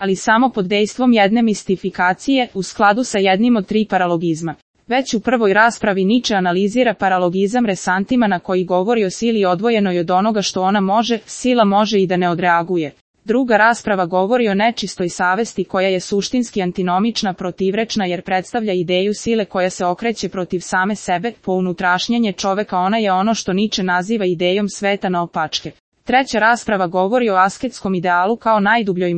ali samo pod dejstvom jedne mistifikacije, u skladu sa jednim od 3 paralogizma. Već u prvoj raspravi Nietzsche analizira paralogizam resantima koji govori o sili odvojenoj od onoga što ona može, sila može i da ne odreaguje. Druga rasprava govori o nečistoj savesti koja je suštinski antinomična, protivrečna jer predstavlja ideju sile koja se okreće protiv same sebe, po unutrašnjenje čoveka ona je ono što Nietzsche naziva idejom sveta naopačke. Treća rasprava govori o asketskom idealu kao najdubljoj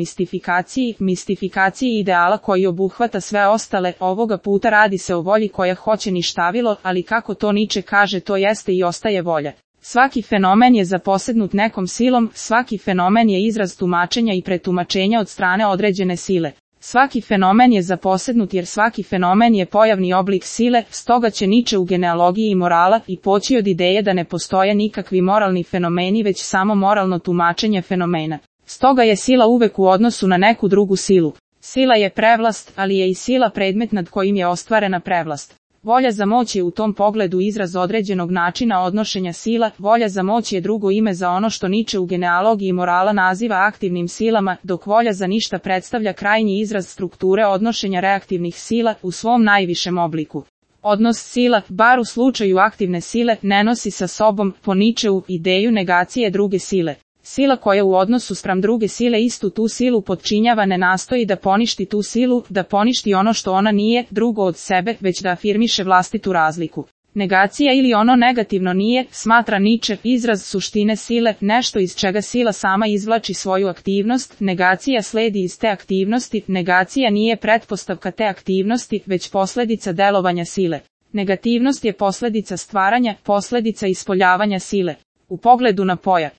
mistifikaciji ideala koji obuhvata sve ostale, ovoga puta radi se o volji koja hoće ništavilo, ali kako to Nietzsche kaže to jeste i ostaje volja. Svaki fenomen je zaposednut nekom silom, svaki fenomen je izraz tumačenja i pretumačenja od strane određene sile. Svaki fenomen je zaposednut jer svaki fenomen je pojavni oblik sile, stoga će Nietzsche u genealogiji morala i poći od ideje da ne postoje nikakvi moralni fenomeni već samo moralno tumačenje fenomena. Stoga je sila uvek u odnosu na neku drugu silu. Sila je prevlast, ali je i sila predmet nad kojim je ostvarena prevlast. Volja za moć je u tom pogledu izraz određenog načina odnošenja sila, volja za moć je drugo ime za ono što Nietzsche u genealogiji morala naziva aktivnim silama, dok volja za ništa predstavlja krajnji izraz strukture odnošenja reaktivnih sila u svom najvišem obliku. Odnos sila, bar u slučaju aktivne sile, ne nosi sa sobom, po Nietzscheu, ideju negacije druge sile. Sila koja u odnosu spram druge sile istu tu silu potčinjava ne nastoji da poništi tu silu, da poništi ono što ona nije, drugo od sebe, već da afirmiše vlastitu razliku. Negacija ili ono negativno nije, smatra Nietzsche, izraz suštine sile, nešto iz čega sila sama izvlači svoju aktivnost, negacija sledi iz te aktivnosti, negacija nije pretpostavka te aktivnosti, već posljedica delovanja sile. Negativnost je posljedica stvaranja, posljedica ispoljavanja sile. U pogledu na pojam